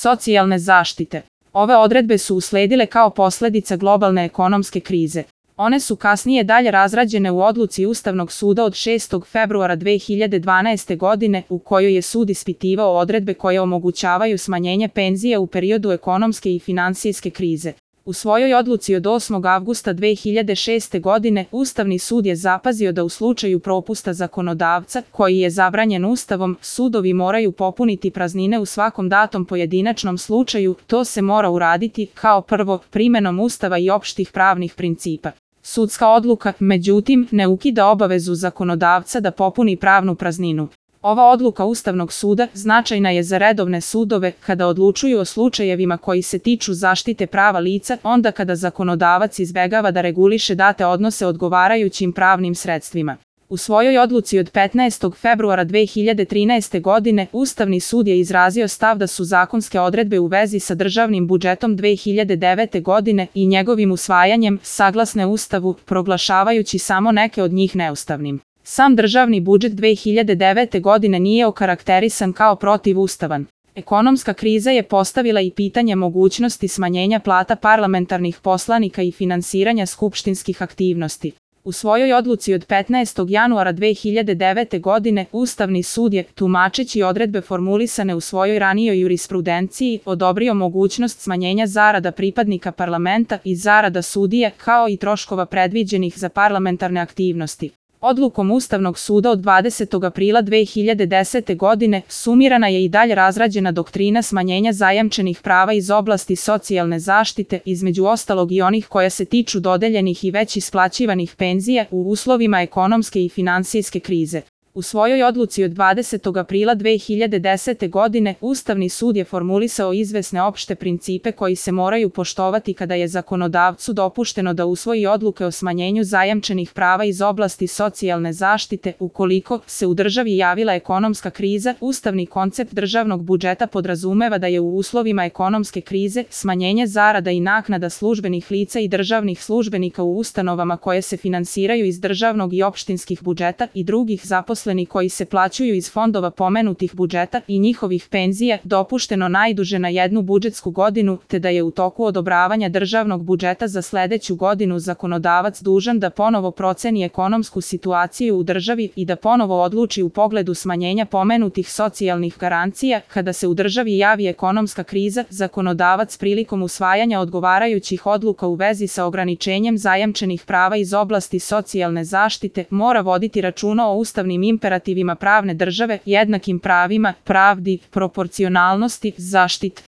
socijalne zaštite. Ove odredbe su usledile kao posledica globalne ekonomske krize. One su kasnije dalje razrađene u odluci Ustavnog suda od 6. februara 2012. godine u kojoj je sud ispitivao odredbe koje omogućavaju smanjenje penzija u periodu ekonomske i finansijske krize. U svojoj odluci od 8. avgusta 2006. godine Ustavni sud je zapazio da u slučaju propusta zakonodavca, koji je zabranjen Ustavom, sudovi moraju popuniti praznine u svakom datom pojedinačnom slučaju. To se mora uraditi, kao prvo, primenom Ustava i opštih pravnih principa. Sudska odluka, međutim, ne ukida obavezu zakonodavca da popuni pravnu prazninu. Ova odluka Ustavnog suda značajna je za redovne sudove kada odlučuju o slučajevima koji se tiču zaštite prava lica, onda kada zakonodavac izbegava da reguliše date odnose odgovarajućim pravnim sredstvima. U svojoj odluci od 15. februara 2013. godine Ustavni sud je izrazio stav da su zakonske odredbe u vezi sa državnim budžetom 2009. godine i njegovim usvajanjem saglasne Ustavu, proglašavajući samo neke od njih neustavnim. Sam državni budžet 2009. godine nije okarakterisan kao protivustavan. Ekonomska kriza je postavila i pitanje mogućnosti smanjenja plata parlamentarnih poslanika i finansiranja skupštinskih aktivnosti. U svojoj odluci od 15. januara 2009. godine Ustavni sud je, tumačeći odredbe formulisane u svojoj ranijoj jurisprudenciji, odobrio mogućnost smanjenja zarada pripadnika parlamenta i zarada sudije, kao i troškova predviđenih za parlamentarne aktivnosti. Odlukom Ustavnog suda od 20. aprila 2010. godine sumirana je i dalje razrađena doktrina smanjenja zajamčenih prava iz oblasti socijalne zaštite, između ostalog i onih koja se tiču dodeljenih i već isplaćivanih penzija u uslovima ekonomske i finansijske krize. U svojoj odluci od 20. aprila 2010. godine Ustavni sud je formulisao izvesne opšte principe koji se moraju poštovati kada je zakonodavcu dopušteno da usvoji odluke o smanjenju zajamčenih prava iz oblasti socijalne zaštite. Ukoliko se u državi javila ekonomska kriza, ustavni koncept državnog budžeta podrazumeva da je u uslovima ekonomske krize smanjenje zarada i naknada službenih lica i državnih službenika u ustanovama koje se finansiraju iz državnog i opštinskih budžeta i drugih zaposlenih koji se plaćaju iz fondova pomenutih budžeta i njihovih penzija dopušteno najduže na jednu budžetsku godinu, te da je u toku odobravanja državnog budžeta za sledeću godinu zakonodavac dužan da ponovo proceni ekonomsku situaciju u državi i da ponovo odluči u pogledu smanjenja pomenutih socijalnih garancija. Kada se u državi javi ekonomska kriza, zakonodavac prilikom usvajanja odgovarajućih odluka u vezi sa ograničenjem zajamčenih prava iz oblasti socijalne zaštite mora voditi računa o ustavnim imperativima pravne države, jednakim pravima, pravdi, proporcionalnosti, zaštiti.